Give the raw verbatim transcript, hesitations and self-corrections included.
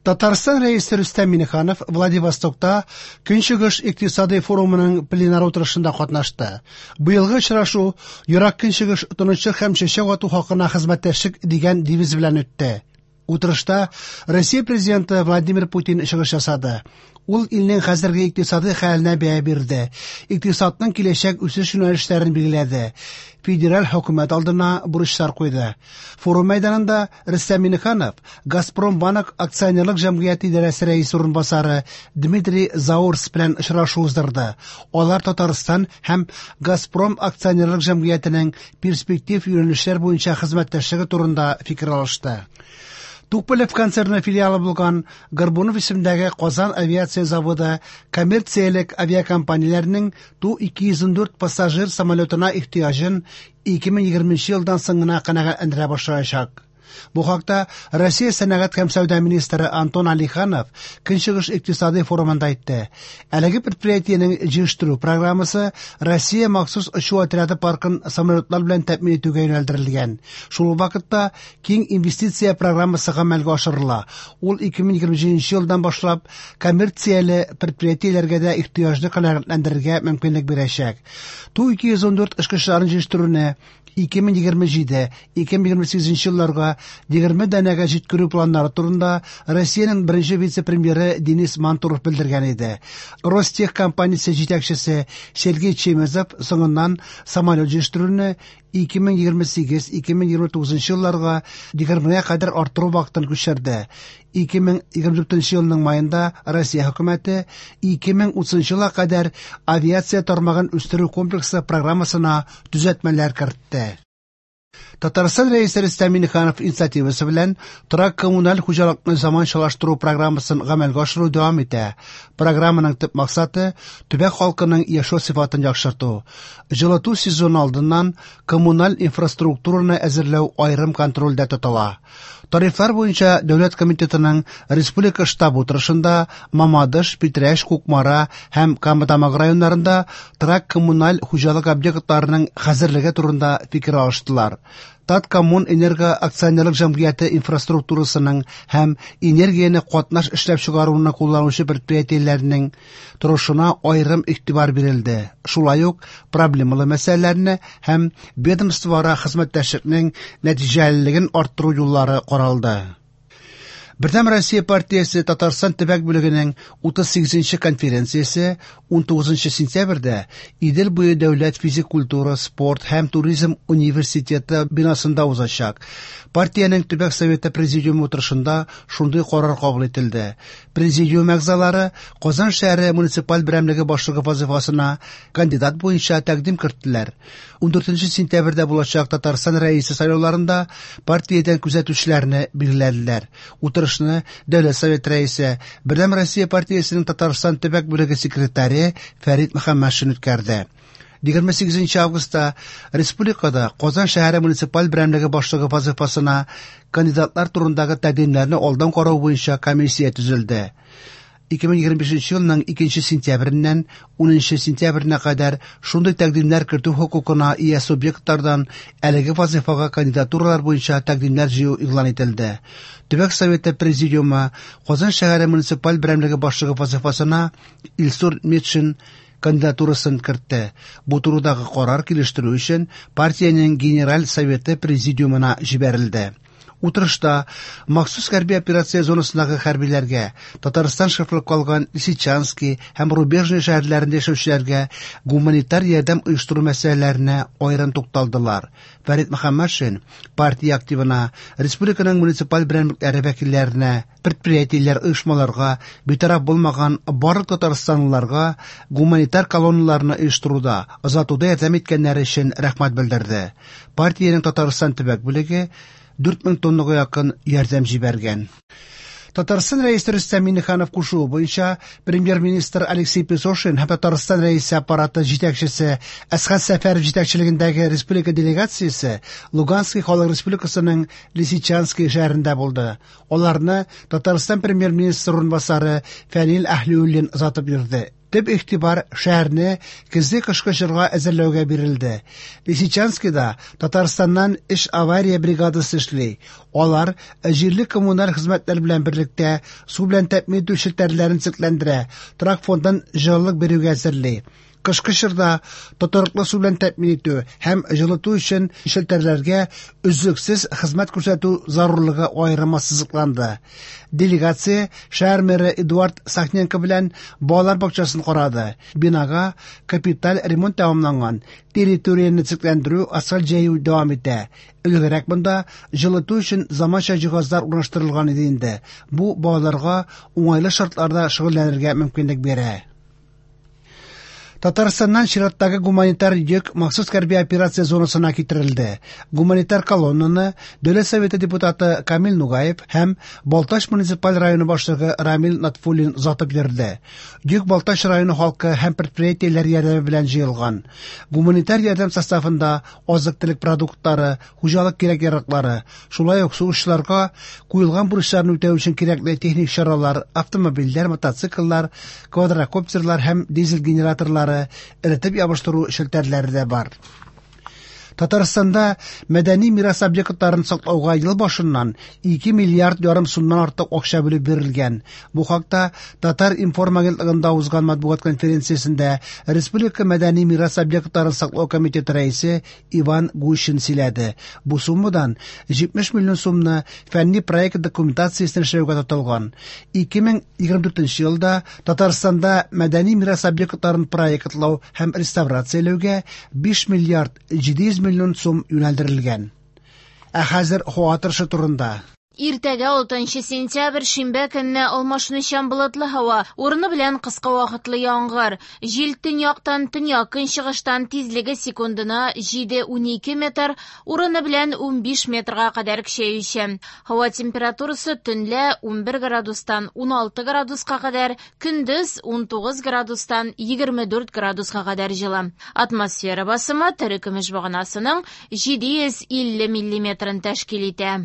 Татарстан Рәисе Рөстәм Миңнеханов Владивостокта Көнчыгыш икътисади форумының пленар утырышында катнашты. Быелгы очрашу «Ерак Көнчыгыш тынычлык һәм чәчәк ату хакына хезмәттәшлек» дигән девиз белән үтте. Утырышта Россия Президенты Владимир Путин чыгыш ясады. Ул илнең хәзерге икътисади хәленә бәя бирде. Икътисадның киләчәк үсеш юнәлешләрен билгеләде. Федераль хөкүмәт алдына бурычлар куйды. Форум мәйданында Рөстәм Миңнеханов Газпромбанк акционерлык җәмгыяте идарәсе рәисе урынбасары Дмитрий Заурс белән очрашу уздырды. Алар Татарстан һәм Газпром акционерлык җәмгыятенең перспектив юнәлешләр буенча хезмәттәшлеге турында фикер алышты. Туполев концерны филиалы булган Горбунов исемендәге Казан авиация заводы коммерциялек авиакомпанияләренең Ту ике йөз ундүрт пассажир самолетына ихтыяҗын ике мең егерменче елдан соң гына канәгатьләндерә башлаячак. Бу хакта Россия сәнәгать һәм сәүдә министры Антон Алиханов Көнчыгыш икътисади форумында әйтте. Әлеге предприятиенең җыештыру программасы Россия махсус очу отряды паркын самолетлар белән тәэмин итүгә юнәлдерелгән. Шул ук вакытта киң инвестиция программасы гамәлгә ашырыла. Ул ике мең егерме җиденче елдан башлап коммерцияле предприятиеләргә дә ихтыяҗны канәгатьләндерергә мөмкинлек бирәчәк. Ту ике йөз ундүрт очкычларын җыештыруны ике мең егерме җиде, ике мең егерме сигезенче елларга егерме данәгә җиткерү планнары турында Россиянең беренче вице-премьеры Денис Мантуров белдергән иде. Ростех компаниясе җитәкчесе Сергей Чемезов соңыннан самолет җыештыруны ике мең егерме сигез, ике мең егерме тугызынчы елларга егермегә кадәр арттыру вакытын күчерде. Ике мең егерме дүртенче елның майында Россия хөкүмәте ике мең утызынчы елга кадәр авиация тармагын үстерү комплексы программасына төзәтмәләр кертте. Татарстан Рәисе Рөстәм Миңнеханов инициативасы белән торак коммуналь хуҗалыкны заманчалаштыру программасын гамәлгә ашыру дәвам итә. Программаның төп максаты төбәк халкының яшәү сыйфатын яхшырту. Җылыту сезоны алдыннан коммуналь инфраструктураны әзерләү аерым контрольдә тотыла. Тарифлар буенча Дәүләт комитетының республика штабы утырышында Мамадыш, Питрәч, Кукмара һәм Кама Тамагы районнарында торак коммуналь хуҗалык объектларының хәзерлеге турында фикер алыштылар. Таткоммунэнерго акционерлык җәмгыяте инфраструктурасының һәм энергияне катнаш эшләп чыгаруны кулланучы предприятиеләрнең торышына аерым игътибар бирелде. Шулай ук проблемалы мәсьәләләрне һәм ведомствоара хезмәттәшлекнең нәтиҗәлелеген арттыру юллары каралды. Бердәм Россия партиясе Татарстан төбәк бүлегенең утыз сигезенче конференциясе унтугызынчы сентябрьдә Идел буе дәүләт физик культура, спорт һәм туризм университеты бинасында узачак. Партиянең төбәк советы президиумы утырышында шундый карар кабул ителде. Президиум әгъзалары Казан шәһәре муниципаль берәмлеге башлыгы вазифасына кандидат буенча тәкъдим керттеләр. Ундүртенче сентябрьдә булачак Татарстан Рәисе сайлауларында партиядән күзәтүчеләрне билгеләделәр. Утырышны Дәүләт Совет Рәисе, Бердәм Россия партиясенең Татарстан төбәк бүлеге секретаре Фәрит Мөхәммәтшин үткәрде. Егерме сигезенче августта республикада Казан шәһәре муниципаль берәмлеге башлыгы вазифасына кандидатлар турындагы тәкъдимнәрне алдан карау буенча комиссия төзелде. Ике мең егерме бишенче елның икенче сентябреннән унынчы сентябренә кадәр шундый тәкъдимнәр кертү хокукына ия субъектлардан әлеге вазифага кандидатуралар буенча тәкъдимнәр җыю игълан ителде. Төбәк Советы Президиумы Казан шәһәре муниципаль берәмлеге башлыгы вазифасына Илсур Метшин кандидатурасын кертте. Бу турыдагы карар килештерү өчен партиянең Генераль Советы Президиумына җибәрелде. Утырышта махсус хәрби операция зонасындагы хәрбиләргә, Татарстан шефлык калган Лисичанский һәм Рубежный шәһәрләрендә яшәүчеләргә гуманитар ярдәм оештыру мәсьәләләренә аерым тукталдылар. Фәрит Мөхәммәтшин партия активына, республиканың муниципаль берәмлекләре вәкилләренә, предприятиеләр, оешмаларга, битараф булмаган барлык татарстанлыларга гуманитар колонналарны оештыруда, озатуда ярдәм иткәннәре өчен рәхмәт белдерде. Партиянең Татарстан төбәк бүлеге дүрт мең тоннага якын ярдәм җибәргән. Татарстан Рәисе Рөстәм Миңнеханов кушуы буенча премьер-министр Алексей Песошин һәм Татарстан Рәисе аппараты җитәкчесе Әсхәт Сәфәров җитәкчелегендәге республика делегациясе Луганский халык республикасының Лисичанский шәһәрендә булды. Аларны Татарстан премьер-министры урынбасары Фәнил Әһлиуллин озатып йөрде. Төп игътибар шәһәрне көзге кышкы чорга әзерләүгә бирелде. Лисичанскида Татарстаннан өч авария бригадасы эшли. Алар җирле коммуналь хезмәтләр белән берлектә су белән тәэмин итү челтәрләрен төзекләндерә, торак фондын җылылык бирүгә әзерли. Кышкы чорда тотрыклы су белән тәэмин итү һәм җылыту өчен челтәрләргә өзлексез хезмәт күрсәтү зарурлыгы аерым ассызыкланды. Делегация шәһәр мэры Эдуард Сахненко белән балалар бакчасын карады. Бинага капиталь ремонт тәмамланган, территорияне төзекләндерү, асфальт җәю дәвам итә. Элегрәк монда җылыту өчен заманча җиһазлар урнаштырылган иде инде. Бу балаларга уңайлы шартларда шөгыльләнергә мөмкинлек бирә. Татарстаннан чираттагы гуманитар йөк махсус хәрби операция зонасына китерелде. Гуманитар колоннаны Дәүләт Советы депутаты Камил Нугаев һәм Балтач муниципаль районы башлыгы Рамил Нотфуллин озатып йөрде. Йөк Балтач районы халкы һәм предприятиеләр ярдәме белән җыелган. Гуманитар ярдәм составында азык-төлек продуктлары, хуҗалык кирәк-яраклары, шулай ук сугышчыларга куелган бурычларны үтәү өчен кирәкле техник чаралар, автомобильләр, мотоцикллар, квадрокоптерлар һәм дизель генераторлары, эретеп ябыштыру челтәрләре дә бар. Татарстанда мәдәни мирас объектларын саклауга ел башыннан ике миллиард ярым сумнан артык акча бүлеп бирелгән. Бу хакта Татар-информ агентлыгында узган матбугат конференциясендә Республика мәдәни мирас объектларын саклау комитеты рәисе Иван Гущин сөйләде. Бу суммадан җитмеш миллион сумны фәнни проект документациясен эшләүгә тотылган. ике мең егерме дүртенче елда Татарстанда мәдәни мирас объектларын проектлау һәм реставрацияләүгә биш миллиард җиде йөз миллион сум юнәлдерелгән. Ә хәзер һава торышы турында. Иртәгә алтынчы сентябрь шимбә көнне алмашынучан болытлы һава, урыны белән кыска вакытлы яңгыр. Җил төньяктан төньяк көнчыгыштан тизлеге секундына җиде унике метр, урыны белән унбиш метрга кадәр көчәючән. Һава температурасы төнлә унбер градустан уналты градуска кадәр, көндез унтугыз градустан егерме дүрт градуска кадәр җылы. Атмосфера басымы терекөмеш баганасының җиде йөз илле миллиметрын тәшкил итә.